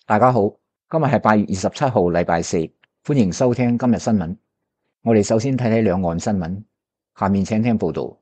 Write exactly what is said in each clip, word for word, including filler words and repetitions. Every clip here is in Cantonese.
大家好，今日係八月二十七號，禮拜四，歡迎收聽今日新聞。我哋首先睇睇兩岸新聞，下面請聽報道。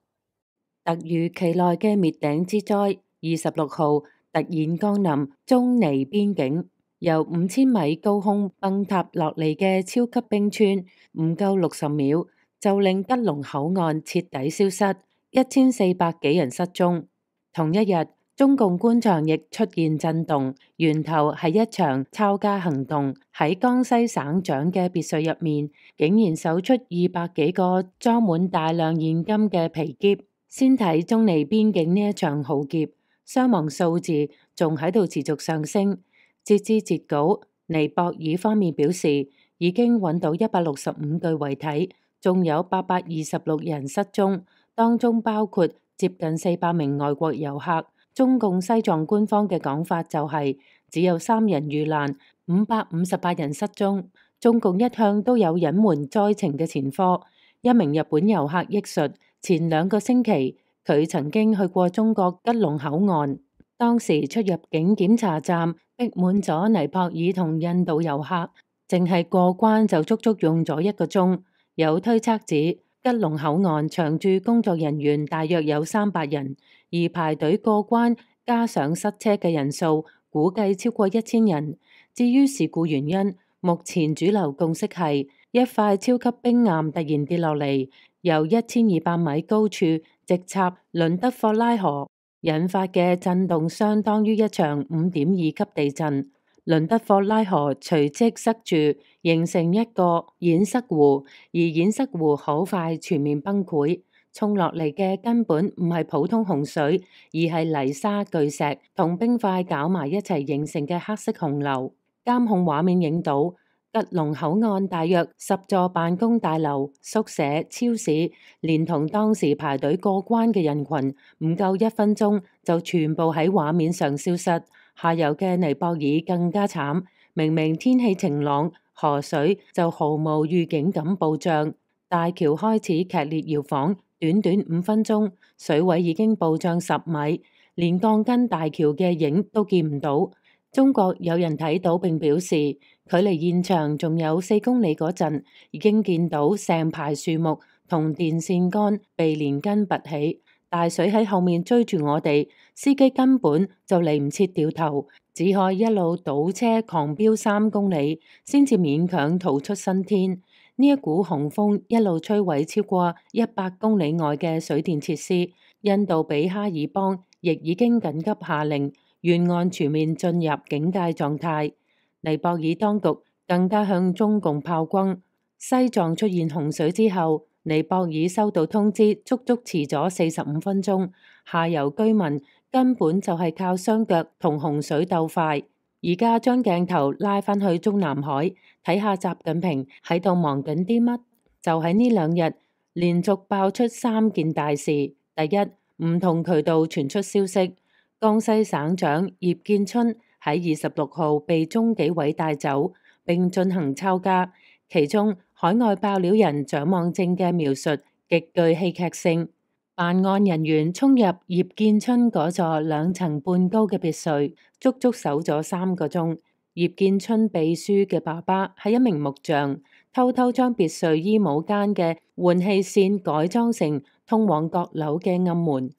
突如其來嘅滅頂之災，二十六號突然降臨中尼邊境，由五千米高空崩塌落嚟嘅超級冰川，唔夠六十秒就令吉隆口岸徹底消失，一千四百幾人失蹤。同一日，中共官場亦出現震動，源頭係一場抄家行動。喺江西省長嘅別墅入面，竟然搜出二百幾個裝滿大量現金嘅皮篋。先睇中尼邊境呢一場浩劫，傷亡數字仲喺度持續上升。截至截稿，尼泊爾方面表示已經揾到一百六十五具遺體，仲有八百二十六人失蹤，當中包括接近四百名外國遊客。中共西藏官方嘅講法就係、是、只有三人遇難，五百五十八人失蹤。中共一向都有隱瞞災情嘅前科。一名日本遊客憶述，前兩個星期佢曾經去過中國吉隆口岸，當時出入境檢查站逼滿咗尼泊爾同印度遊客，淨係過關就足足用咗一個鐘。有推測指，吉隆口岸長駐工作人員大約有三百人，而排隊過關加上塞車嘅人數估計超過一千人。至於事故原因，目前主流共識係一塊超級冰岩突然跌落嚟，由一千二百米高處直插倫德霍拉河，引發嘅震動相當於一場五點二級地震。倫德霍拉河隨即塞住，形成一個堰塞湖，而堰塞湖好快全面崩潰，沖落嚟嘅根本唔係普通洪水，而係泥沙巨石同冰塊攪埋一齊形成嘅黑色洪流。監控畫面影到吉隆口岸大約十座辦公大樓、宿舍、超市，連同當時排隊過關嘅人群，唔夠一分鐘就全部喺畫面上消失。下游嘅尼泊爾更加慘，明明天氣晴朗，河水就毫無預警咁暴漲，大橋開始劇烈搖晃，短短五分鐘，水位已經暴漲十米，連鋼筋大橋嘅影都見唔到。中國有人睇到並表示，距離現場仲有四公里嗰陣，已經見到成排樹木同電線桿被連根拔起。大水喺後面追住我哋，司機根本就嚟唔切掉頭，只可以一路倒車狂飆三公里，先至勉強逃出生天。呢一股洪峰一路摧毀超過一百公里外嘅水電設施。印度比哈爾邦亦已經緊急下令沿岸全面進入警戒狀態。尼泊爾當局更加向中共炮轟。西藏出現洪水之後，尼泊爾收到通知，足足遲咗四十五分鐘。下游居民根本就係靠雙腳同洪水鬥快。而家將鏡頭拉返去中南海，睇下習近平喺度忙緊啲乜？就喺呢兩日，連續爆出三件大事。第一，唔同渠道傳出消息，江西省長葉建春喺二十六號被中紀委帶走，並進行抄家。其中海外爆料人蔣望正嘅描述極具戲劇性。辦案人員衝入葉建春嗰座兩層半高嘅別墅，足足搜咗三個鐘。葉建春秘書嘅爸爸係一名木匠，偷偷將別墅衣帽間嘅換氣扇改裝成通往閣樓嘅暗門。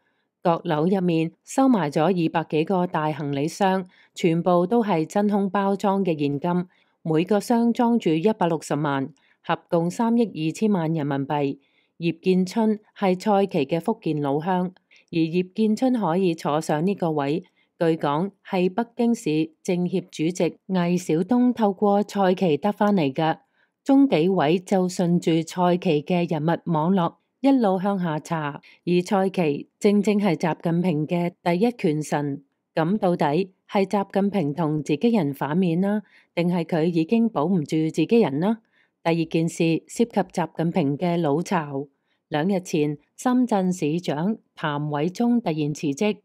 閣樓入面收埋咗二百幾個大行李箱，全部都係真空包裝嘅現金。每個箱裝住一百六十萬，合共三億二千萬人民幣。葉建春係蔡奇嘅福建老鄉，而葉建春可以坐上呢個位，據講係北京市政協主席魏小東透過蔡奇得返嚟㗎。中紀委就順住蔡奇嘅人物網絡一路向下查，而蔡奇正正係習近平嘅第一權臣。咁到底係習近平同自己人反面啦，定係佢已經保唔住自己人呢？第二件事涉及習近平嘅老巢。兩日前，深圳市長譚偉宗突然辭職。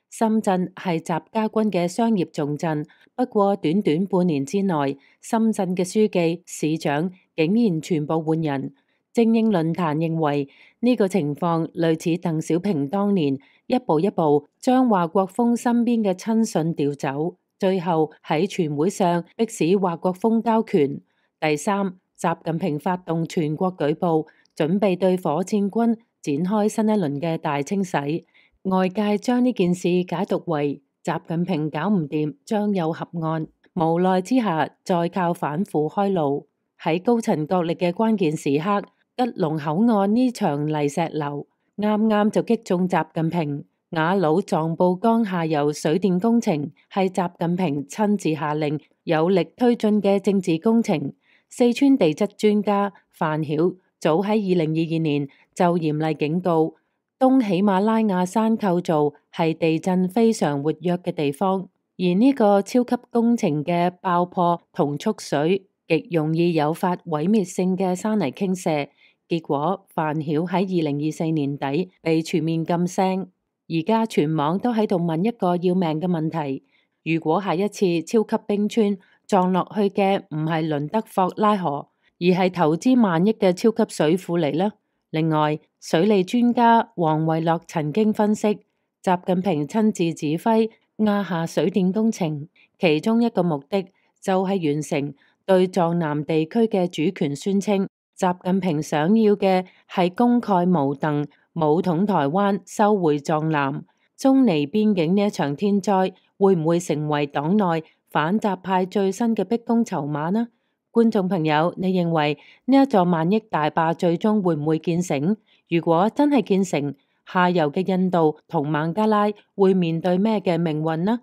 深圳係習家軍嘅商業重鎮，不過短短半年之內，深圳嘅書記、市長竟然全部換人。精英論壇認為呢個情況類似鄧小平當年一步一步將華國鋒身邊嘅親信調走。最後喺全會上迫使華國鋒交權。第三，習近平發動全國舉報，準備對火箭軍展開新一輪嘅大清洗。外界將呢件事解讀為習近平搞唔掂，張有合案，無奈之下再靠反腐開路。喺高層角力嘅關鍵時刻，吉隆口岸呢場泥石流啱啱就擊中習近平。雅魯藏布江下游水電工程係習近平親自下令有力推進嘅政治工程。四川地質專家范曉早喺二零二二年就嚴厲警告，東喜馬拉雅山構造係地震非常活躍嘅地方，而呢個超級工程嘅爆破同蓄水極容易誘發毀滅性嘅山泥傾瀉。結果范曉喺二零二四年底被全面禁聲。而家全網都喺度問一個要命嘅問題：如果下一次超級冰川撞落去嘅唔係倫德霍拉河，而係投資萬億嘅超級水庫嚟呢？另外，水利專家黃維樂曾經分析，習近平親自指揮亞夏水電工程，其中一個目的就係完成對藏南地區嘅主權宣稱。習近平想要嘅係公蓋無鄧，武統台灣，收回藏南。中尼邊境呢一場天災會唔會成為黨內反習派最新嘅逼宮籌碼呢？觀眾朋友，你認為呢一座萬億大壩最終會唔會建成？如果真係建成，下游嘅印度同孟加拉會面對咩嘅命運呢？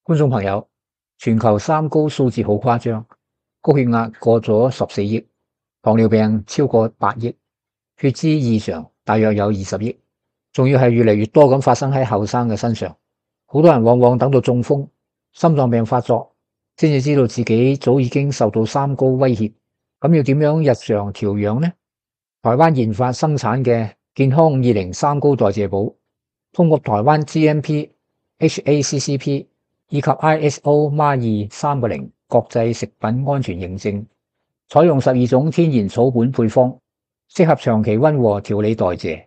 觀眾朋友，全球三高數字好誇張，高血壓過咗十四億，糖尿病超過八億，血脂異常大約有二十億，仲要係越嚟越多咁發生喺後生嘅身上。好多人往往等到中風、心臟病發作，先至知道自己早已經受到三高威脅。咁要點樣日常調養呢？台灣研發生產嘅健康五二零三高代謝寶，通過台灣 G M P、H A C C P 以及 I S O M A 二三個零國際食品安全認證。採用十二種天然草本配方，適合長期溫和調理代謝，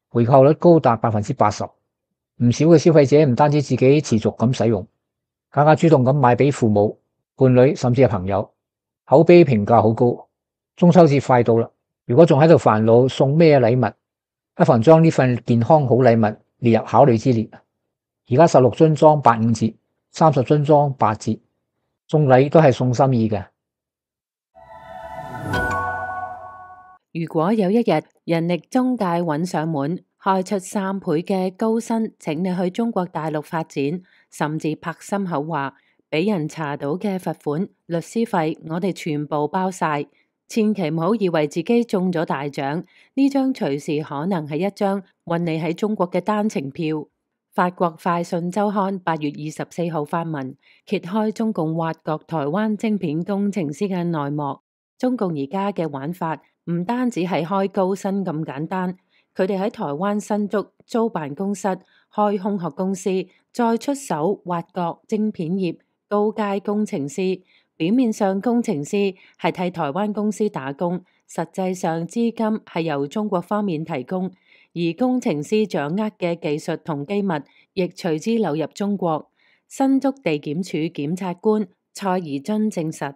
回購率高達百分之八十。唔少嘅消費者唔單止自己持續咁使用，更加主動咁買俾父母、伴侶甚至係朋友，口碑評價好高。中秋節快到啦，如果仲喺度煩惱送咩禮物，不妨將呢份健康好禮物列入考慮之列。而家十六樽裝八五折，三十樽裝八折，送禮都係送心意嘅。如果有一日人力中介揾上門，開出三倍嘅高薪，請你去中國大陸發展，甚至拍心口話俾人查到嘅罰款、律師費，我哋全部包晒。千祈唔好以為自己中咗大獎，呢張隨時可能係一張運你喺中國嘅單程票。法國快訊週刊八月二十四號發文揭開中共挖角台灣晶片工程師嘅內幕。中共而家嘅玩法唔單止係開高薪咁簡單，佢哋喺台灣新竹租辦公室、開空殼公司，再出手挖角晶片業高階工程師。表面上工程師係替台灣公司打工，實際上資金係由中國方面提供，而工程師掌握嘅技術同機密亦隨之流入中國。新竹地檢署檢察官蔡宜津證實，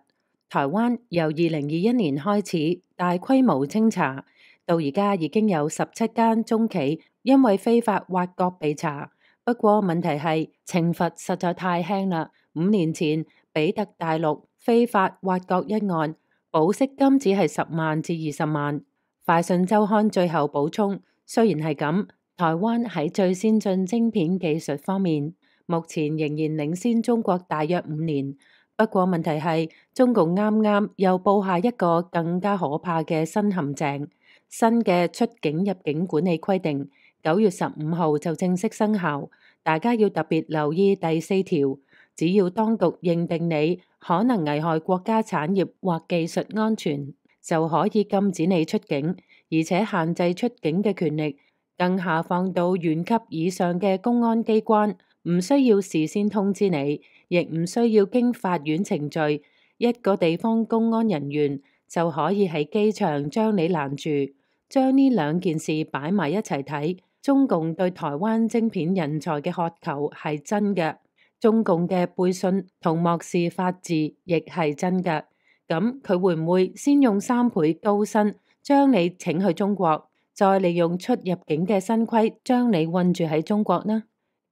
台灣由二零二一年開始大規模清查，到而家已經有十七間中企因為非法挖角被查。不過問題係懲罰實在太輕啦。五年前比特大陸非法挖角一案，保釋金只係十萬至二十萬。快訊週刊最後補充，雖然係咁，台灣喺最先進晶片技術方面，目前仍然領先中國大約五年。不過問題係，中共啱啱又布下一個更加可怕嘅新陷阱。新嘅出境入境管理規定九月十五號就正式生效，大家要特別留意第四條。只要當局認定你可能危害國家產業或技術安全，就可以禁止你出境，而且限制出境嘅權力更下放到縣級以上嘅公安機關，唔需要事先通知你，亦唔需要經法院程序，一個地方公安人員就可以喺機場將你攔住。將呢兩件事擺埋一齊睇，中共對台灣晶片人才嘅渴求係真嘅。中共嘅背信同漠視法治亦係真㗎。咁佢會唔會先用三倍高薪將你請去中國，再利用出入境嘅新規將你困住喺中國呢？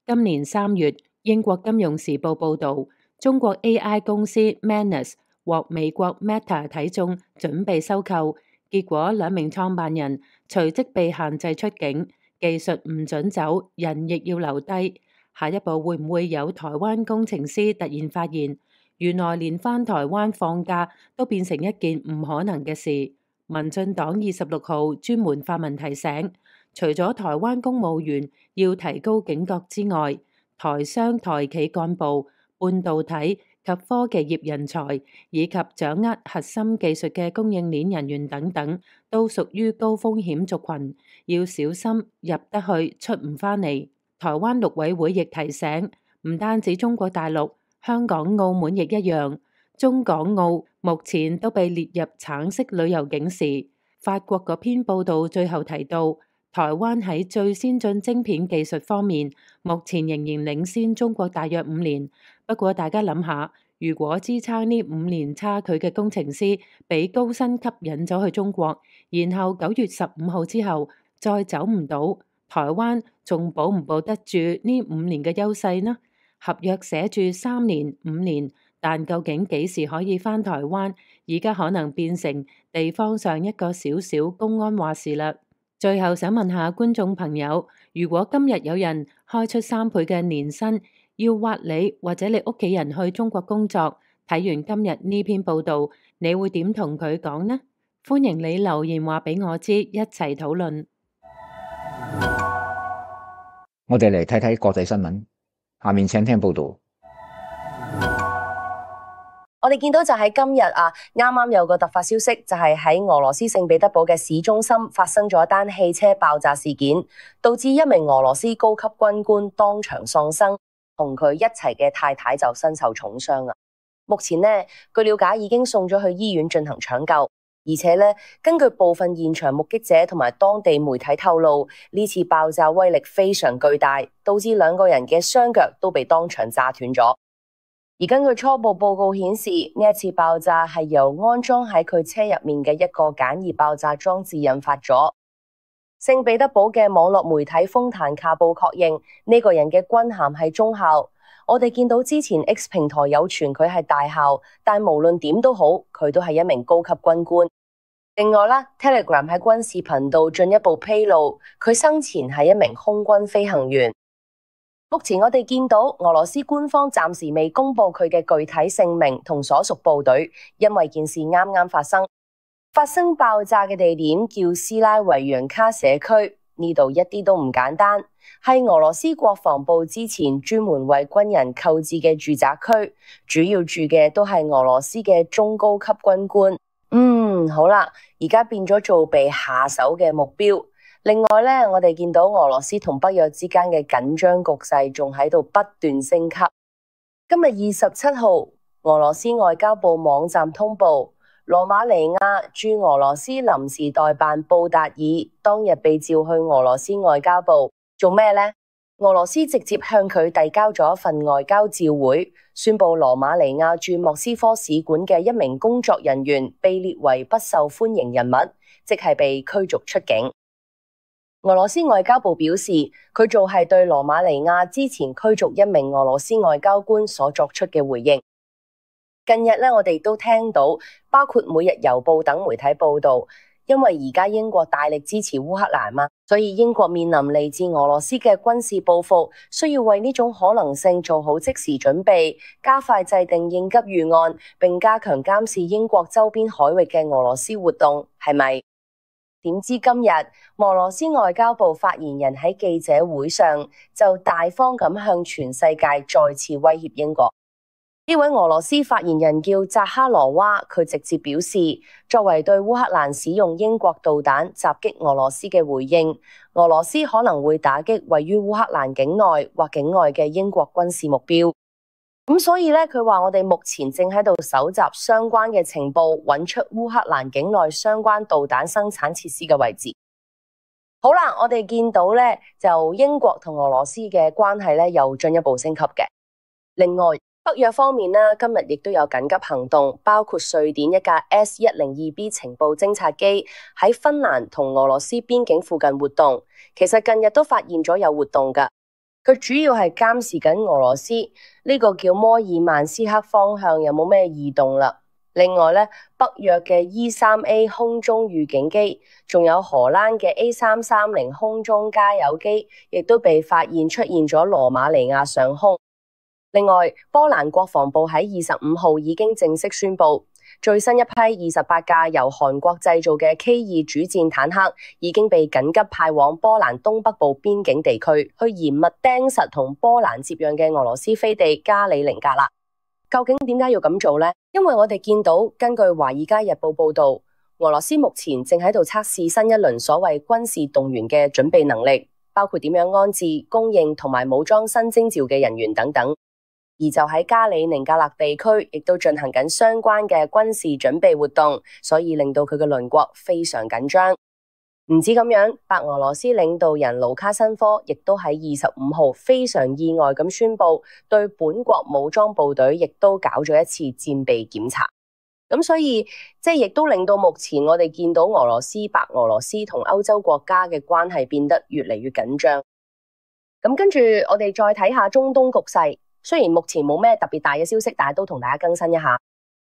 今年三月，英國金融時報報導，中國 A I 公司 Manus 獲美國 Meta 睇中，準備收購，結果兩名創辦人隨即被限制出境，技術唔准走，人亦要留低。下一步會唔會有台灣工程師突然發現，原來連返台灣放假都變成一件唔可能嘅事？民進黨二十六號專門發文提醒，除咗台灣公務員要提高警覺之外，台商、台企幹部、半導體及科技業人才，以及掌握核心技術嘅供應鏈人員等等，都屬於高風險族群，要小心入得去出唔返嚟。台灣陸委會亦提醒，唔單止中國大陸，香港、澳門亦一樣，中港澳目前都被列入橙色旅遊警示。法國嗰篇報道最後提到，台灣喺最先進晶片技術方面，目前仍然領先中國大約五年。不過大家諗下，如果支撐呢五年差距嘅工程師俾高薪吸引咗去中國，然後九月十五號之後再走唔到，台灣仲保唔保得住呢五年嘅優勢呢？合約寫住三年、五年，但究竟幾時可以返台灣？而家可能變成地方上一個小小公安話事啦。最後想問下觀眾朋友，如果今日有人開出三倍嘅年薪，要挖你或者你屋企人去中國工作，睇完今日呢篇報道，你會點同佢講呢？歡迎你留言話俾我知，一齊討論。我哋嚟睇睇國際新聞，下面請聽報道。我哋見到就喺今日啊，啱啱有個突發消息，就係喺俄羅斯聖彼得堡嘅市中心發生咗一單汽車爆炸事件，導致一名俄羅斯高級軍官當場喪生，同佢一齊嘅太太就身受重傷啊。目前呢，據了解已經送咗去醫院進行搶救，而且呢，根據部分現場目擊者同埋當地媒體透露，呢次爆炸威力非常巨大，導致兩個人嘅雙腳都被當場炸斷咗。而根據初步報告顯示，呢一次爆炸係由安裝喺佢車入面嘅一個簡易爆炸裝置引發咗。聖彼得堡嘅網絡媒體豐坦卡報確認呢個人嘅軍銜係中校。我哋見到之前 X 平台有傳佢係大校，但無論點都好，佢都係一名高級軍官。另外啦 ，Telegram 喺軍事頻道進一步披露，佢生前係一名空軍飛行員。目前我哋見到俄羅斯官方暫時未公布佢嘅具體姓名同所屬部隊，因為件事啱啱發生。發生爆炸嘅地點叫斯拉維揚卡社區，呢度一啲都唔簡單，係俄羅斯國防部之前專門為軍人購置嘅住宅區，主要住嘅都係俄羅斯嘅中高級軍官。嗯，好啦，而家變咗做被下手嘅目標。另外呢，我哋見到俄羅斯同北約之間嘅緊張局勢仲喺度不斷升級。今日二十七號，俄羅斯外交部網站通報，羅馬尼亞駐俄羅斯臨時代辦布達爾當日被召去俄羅斯外交部做咩呢？俄羅斯直接向佢遞交咗一份外交照會，宣布羅馬尼亞駐莫斯科使館嘅一名工作人員被列為不受歡迎人物，即係被驅逐出境。俄羅斯外交部表示，佢做係對羅馬尼亞之前驅逐一名俄羅斯外交官所作出嘅回應。近日呢，我哋都聽到包括每日郵報等媒體報道，因為而家英國大力支持烏克蘭嘛，所以英國面臨嚟自俄羅斯嘅軍事報復，需要為呢種可能性做好即時準備，加快制定應急預案，並加強監視英國周邊海域嘅俄羅斯活動，係咪？點知今日俄羅斯外交部發言人喺記者會上就大方咁向全世界再次威脅英國。呢位俄羅斯發言人叫扎哈羅娃，佢直接表示，作為對烏克蘭使用英國導彈襲擊俄羅斯嘅回應，俄羅斯可能會打擊位於烏克蘭境內或境外嘅英國軍事目標。咁所以咧，佢話我哋目前正喺度搜集相關嘅情報，揾出烏克蘭境內相關導彈生產設施嘅位置。好啦，我哋見到咧，就英國同俄羅斯嘅關係咧又進一步升級嘅。另外，北約方面呢，今日亦都有緊急行動，包括瑞典一架 S 一零二 B 情報偵察機喺芬蘭同俄羅斯邊境附近活動。其實近日都發現咗有活動㗎，佢主要係監視緊俄羅斯呢個叫摩爾曼斯克方向有冇咩異動啦。另外咧，北約嘅 E 三 A 空中預警機，仲有荷蘭嘅 A 三三零空中加油機，亦都被發現出現咗羅馬尼亞上空。另外，波蘭國防部喺二十五號已經正式宣布，最新一批二十八架由韓國製造嘅 K 二主戰坦克已經被緊急派往波蘭東北部邊境地區，去嚴密盯實同波蘭接壤嘅俄羅斯飛地加里寧格勒。究竟點解要咁做呢？因為我哋見到，根據《華爾街日報》報道，俄羅斯目前正喺度測試新一輪所謂軍事動員嘅準備能力，包括點樣安置、供應同埋武裝新徵召嘅人員等等。而就喺加里寧格勒地區，亦都進行緊相關嘅軍事準備活動，所以令到佢嘅鄰國非常緊張。唔止咁樣，白俄羅斯領導人盧卡申科亦都喺二十五號非常意外咁宣布，對本國武裝部隊亦都搞咗一次戰備檢查。咁所以即係亦都令到目前我哋見到俄羅斯、白俄羅斯同歐洲國家嘅關係變得越嚟越緊張。咁跟住我哋再睇下中東局勢。雖然目前冇咩特別大嘅消息，但係都同大家更新一下。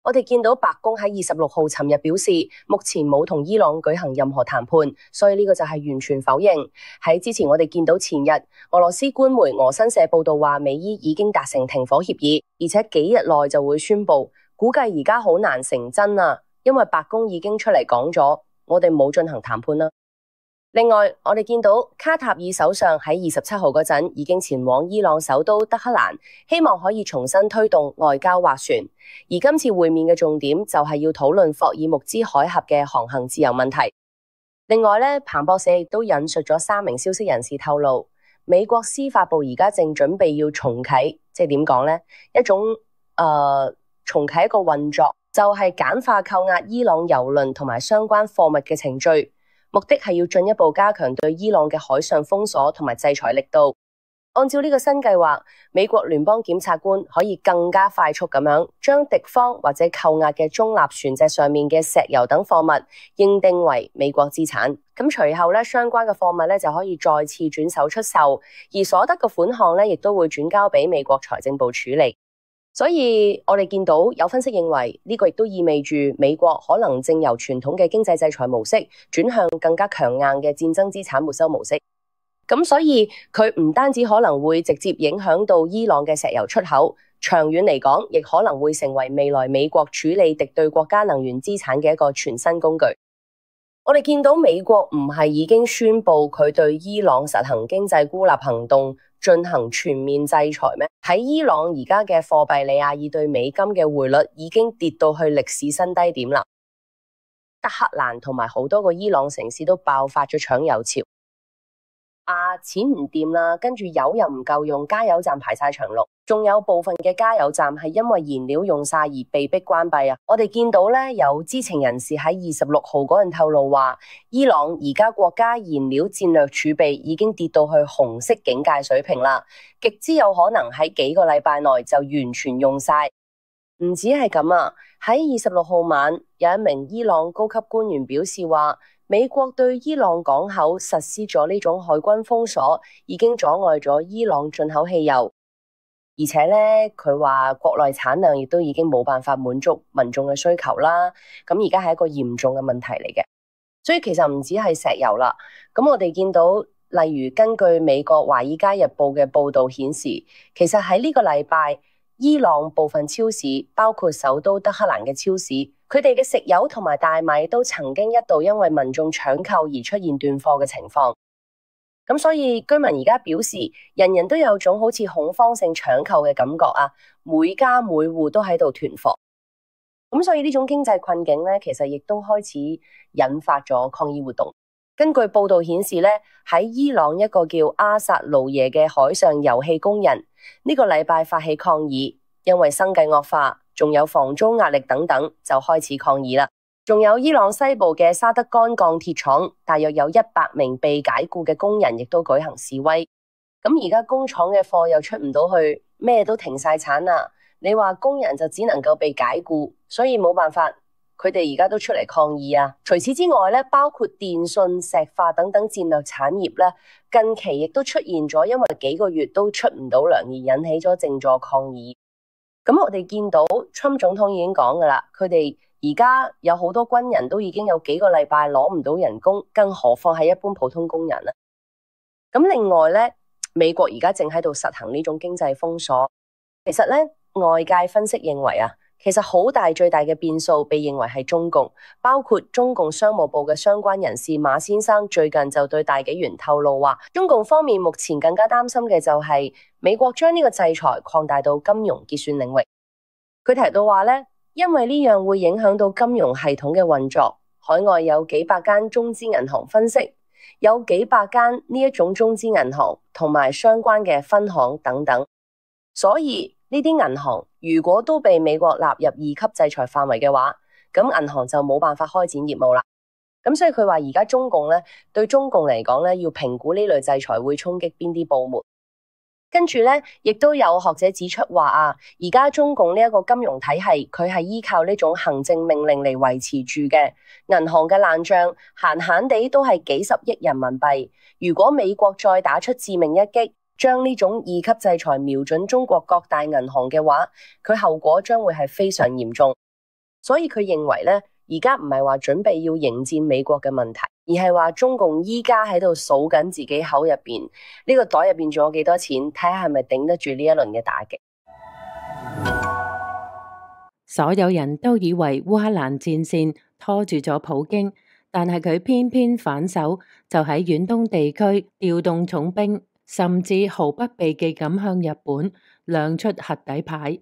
我哋見到白宮喺二十六號尋日表示，目前冇同伊朗舉行任何談判，所以呢個就係完全否認。喺之前我哋見到前日俄羅斯官媒俄新社報道話，美伊已經達成停火協議，而且幾日內就會宣布。估計而家好難成真啊，因為白宮已經出嚟講咗，我哋冇進行談判啦。另外，我哋見到卡塔爾首相喺二十七號嗰陣已經前往伊朗首都德黑蘭，希望可以重新推動外交斡旋。而今次會面嘅重點就係要討論霍爾木茲海峽嘅航行自由問題。另外咧，彭博社亦都引述咗三名消息人士透露，美國司法部而家正準備要重啟，即係點講呢？一種誒、呃、重啟一個運作，就係簡化扣押伊朗郵輪同埋相關貨物嘅程序。目的係要進一步加強對伊朗嘅海上封鎖同埋制裁力度。按照呢個新計劃，美國聯邦檢察官可以更加快速咁樣將敵方或者扣押嘅中立船隻上面嘅石油等貨物認定為美國資產。咁隨後咧，相關嘅貨物咧就可以再次轉手出售，而所得嘅款項咧亦都會轉交俾美國財政部處理。所以我哋見到有分析認為，呢個亦都意味住美國可能正由傳統嘅經濟制裁模式轉向更加強硬嘅戰爭資產沒收模式。咁所以佢唔單止可能會直接影響到伊朗嘅石油出口，長遠嚟講亦可能會成為未來美國處理敵對國家能源資產嘅一個全新工具。我哋見到美國唔係已經宣布佢對伊朗實行經濟孤立行動，進行全面制裁咩？喺伊朗而家嘅貨幣里亞爾對美金嘅匯率已經跌到去歷史新低點啦。德黑蘭同埋好多個伊朗城市都爆發咗搶油潮。啊，錢唔掂啦，跟住油又唔夠用，加油站排晒長龍，仲有部分嘅加油站係因為燃料用晒而被迫關閉啊！我哋見到咧，有知情人士喺二十六號嗰陣透露話，伊朗而家國家燃料戰略儲備已經跌到去紅色警戒水平啦，極之有可能喺幾個禮拜內就完全用晒。唔止係咁啊，喺二十六號晚，有一名伊朗高級官員表示話，美國對伊朗港口實施咗呢種海軍封鎖，已經阻礙咗伊朗進口汽油，而且咧佢話國內產量亦都已經冇辦法滿足民眾嘅需求啦。咁而家係一個嚴重嘅問題嚟嘅，所以其實唔止係石油啦。咁我哋見到，例如根據美國華爾街日報嘅報道顯示，其實喺呢個禮拜，伊朗部分超市，包括首都德黑蘭嘅超市，佢哋嘅食油同埋大米都曾經一度因為民眾搶購而出現斷貨嘅情況。咁所以居民而家表示，人人都有種好似恐慌性搶購嘅感覺啊，每家每戶都喺度囤貨。咁所以呢種經濟困境咧，其實亦都開始引發咗抗議活動。根據報道顯示咧，喺伊朗一個叫阿薩盧耶嘅海上油氣工人呢個禮拜發起抗議，因為生計惡化，仲有房租壓力等等，就開始抗議啦。仲有伊朗西部嘅沙德干鋼鐵廠，大約有一百名被解雇嘅工人，亦都舉行示威。咁而家工廠嘅貨又出唔到去，咩都停晒產啦。你話工人就只能夠被解僱，所以冇辦法，佢哋而家都出嚟抗議啊。除此之外咧，包括電信、石化等等戰略產業咧，近期亦都出現咗，因為幾個月都出唔到糧而引起咗靜坐抗議。咁我哋見到 Trump 總統已經講噶啦，佢哋而家有好多軍人都已經有幾個禮拜攞唔到人工，更何況係一般普通工人啊。咁另外咧，美國而家正喺度實行呢種經濟封鎖。其實咧，外界分析認為啊，其實好大最大嘅變數被認為係中共，包括中共商務部嘅相關人士馬先生最近就對大紀元透露話，中共方面目前更加擔心嘅就係美國將呢個制裁擴大到金融結算領域。佢提到話咧，因為呢樣會影響到金融系統嘅運作，海外有幾百間中資銀行分析，有幾百間呢一種中資銀行同埋相關嘅分行等等，所以呢啲銀行如果都被美國納入二級制裁範圍嘅話，咁銀行就冇辦法開展業務啦。咁所以佢話而家中共咧，對中共嚟講咧，要評估呢類制裁會衝擊邊啲部門。跟住咧，亦都有學者指出話啊，而家中共呢一個金融體系，佢係依靠呢種行政命令嚟維持住嘅，銀行嘅爛賬閒閒地都係幾十億人民幣。如果美國再打出致命一擊，將呢種二級制裁瞄準中國各大銀行嘅話，佢後果將會係非常嚴重。所以佢認為咧，而家唔係話準備要迎戰美國嘅問題，而係話中共依家喺度數緊自己口入邊呢個袋入邊仲有幾多錢，睇下係咪頂得住呢一輪嘅打擊。所有人都以為烏克蘭戰線拖住咗普京，但係佢偏偏反手就喺遠東地區調動重兵，甚至毫不避忌咁向日本亮出核底牌。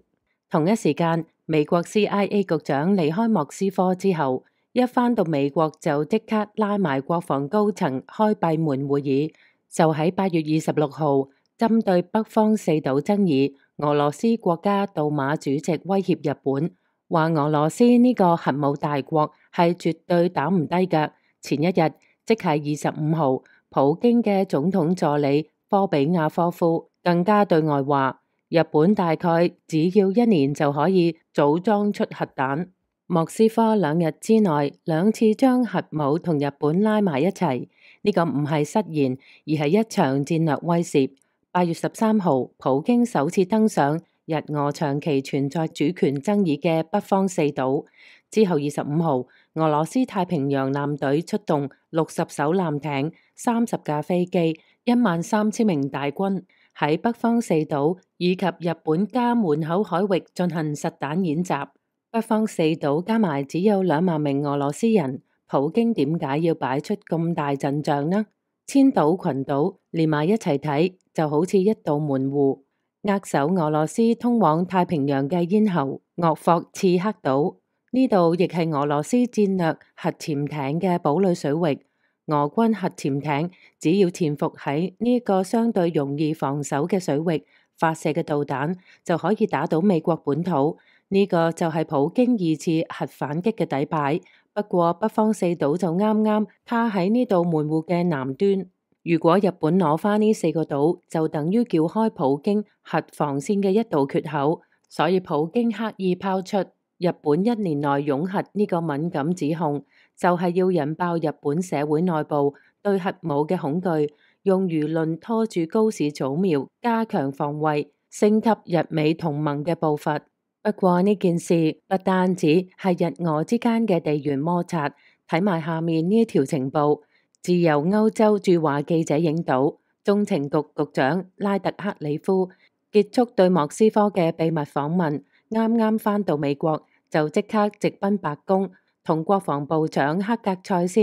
同一時間，美國 C I A 局長離開莫斯科之後，一返到美國就即刻拉埋國防高層開閉門會議，就喺八月二十六號針對北方四島爭議，俄羅斯國家杜馬主席威脅日本，話俄羅斯呢個核武大國係絕對打唔低㗎。前一日，即係二十五號，普京嘅總統助理科比亞科夫更加對外話，日本大概只要一年就可以組裝出核彈。莫斯科兩日之內兩次將核武同日本拉埋一齊，呢個唔係失言，而係一場戰略威懾。八月十三號，普京首次登上日俄長期存在主權爭議嘅北方四島。之後二十五號，俄羅斯太平洋艦隊出動六十艘艦艇、三十架飛機、一萬三千名大軍，喺北方四島以及日本家門口海域進行實彈演習。北方四島加埋只有兩萬名俄羅斯人，普京點解要擺出咁大陣仗呢？千島群島連埋一齊睇，就好似一道門戶，扼守俄羅斯通往太平洋嘅咽喉。鄂霍次克島呢度亦係俄羅斯戰略核潛艇嘅堡壘水域。俄軍核潛艇只要潛伏喺呢個相對容易防守嘅水域，發射嘅導彈就可以打到美國本土。呢個就係普京二次核反擊嘅底牌。不過北方四島就啱啱卡喺呢度門戶嘅南端。如果日本攞返呢四個島，就等於撬開普京核防線嘅一道缺口。所以普京刻意拋出日本一年內擁核呢個敏感指控，就係要引爆日本社會內部對核武嘅恐懼，用輿論拖住高市早苗，加強防衛，升級日美同盟嘅步伐。不過呢件事不單止係日俄之間嘅地緣摩擦，睇埋下面呢條情報，自由歐洲駐華記者影到，中情局局長拉特克里夫結束對莫斯科嘅秘密訪問，啱啱返到美國就即刻直奔白宮，同國防部長克格塞斯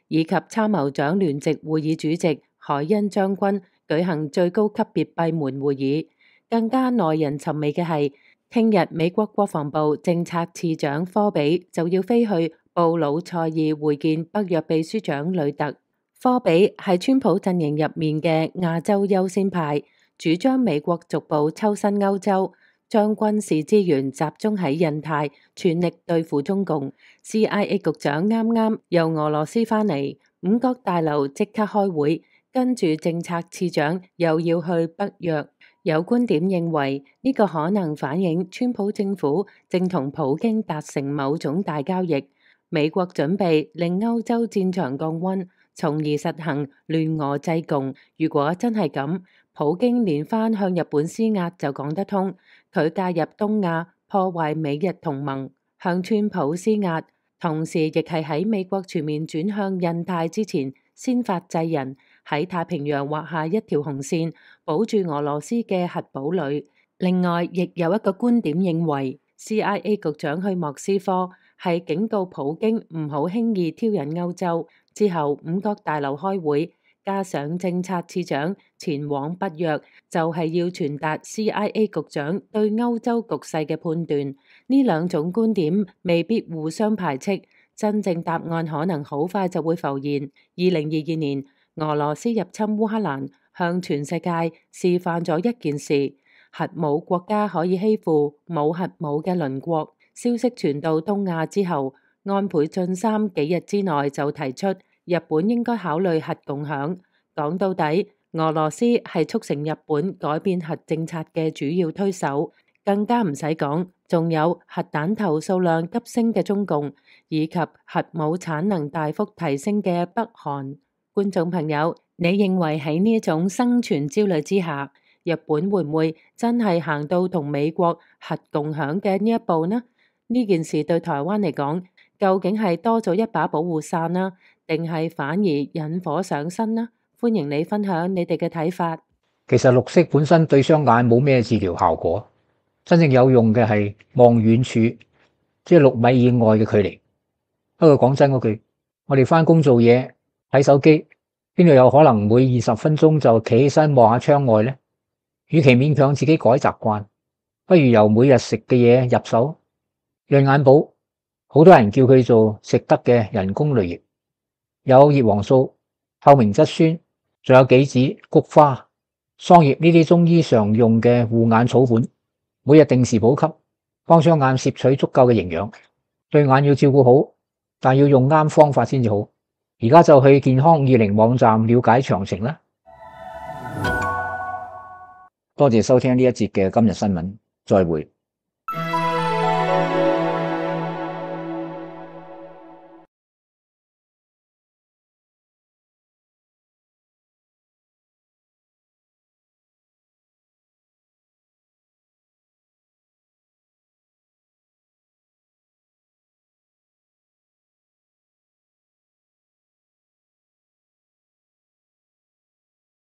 以及參謀長聯席會議主席海恩將軍舉行最高級別閉門會議。更加耐人尋味嘅係，聽日美國國防部政策次長科比就要飛去布魯塞爾會見北約秘書長呂特。科比係川普陣營入面嘅亞洲優先派，主張美國逐步抽身歐洲，將軍事資源集中喺印太，全力對付中共。C I A 局長啱啱由俄羅斯返嚟，五角大樓即刻開會，跟住政策次長又要去北約。有觀點認為呢個可能反映川普政府正同普京達成某種大交易，美國準備令歐洲戰場降溫，從而實行聯俄制共。如果真係咁，普京連番向日本施壓就講得通，佢介入東亞破壞美日同盟，向川普施壓，同時亦係喺美國全面轉向印太之前先發制人，喺太平洋畫下一條紅線，保住俄羅斯嘅核堡壘。另外，亦有一個觀點認為 C I A 局長去莫斯科係警告普京唔好輕易挑釁歐洲。之後五角大樓開會，加上政策次長前往北約，就係要傳達 C I A 局長對歐洲局勢嘅判斷。呢兩種觀點未必互相排斥，真正答案可能好快就會浮現。二零二二年，俄羅斯入侵烏克蘭，向全世界示範咗一件事：核武國家可以欺負冇核武嘅鄰國。消息傳到東亞之後，安倍晉三幾日之內就提出日本應該考慮核共享。講到底，俄羅斯係促成日本改變核政策嘅主要推手，更加唔使講，仲有核彈頭數量急升嘅中共，以及核武產能大幅提升嘅北韓。觀眾朋友，你認為喺呢一種生存焦慮之下，日本會唔會真係行到同美國核共享嘅呢一步呢？呢件事對台灣嚟講，究竟係多咗一把保護傘啦，定係反而引火上身呢？歡迎你分享你哋嘅睇法。其實綠色本身對雙眼冇咩治療效果，真正有用嘅係望遠處，即係六米以外嘅距離。不過講真嗰句，我哋返工做嘢睇手機，邊度有可能每二十分鐘就企起身望下窗外呢？與其勉強自己改習慣，不如由每日食嘅嘢入手。潤眼寶，好多人叫佢做食得嘅人工淚液，有葉黃素、透明質酸，仲有杞子、菊花、桑葉呢啲中醫常用嘅護眼草本，每日定時補給，幫雙眼攝取足夠嘅營養。對眼要照顧好，但要用啱方法先至好。而家就去健康二零網站了解詳情啦。多謝收聽呢一節嘅今日新聞，再會。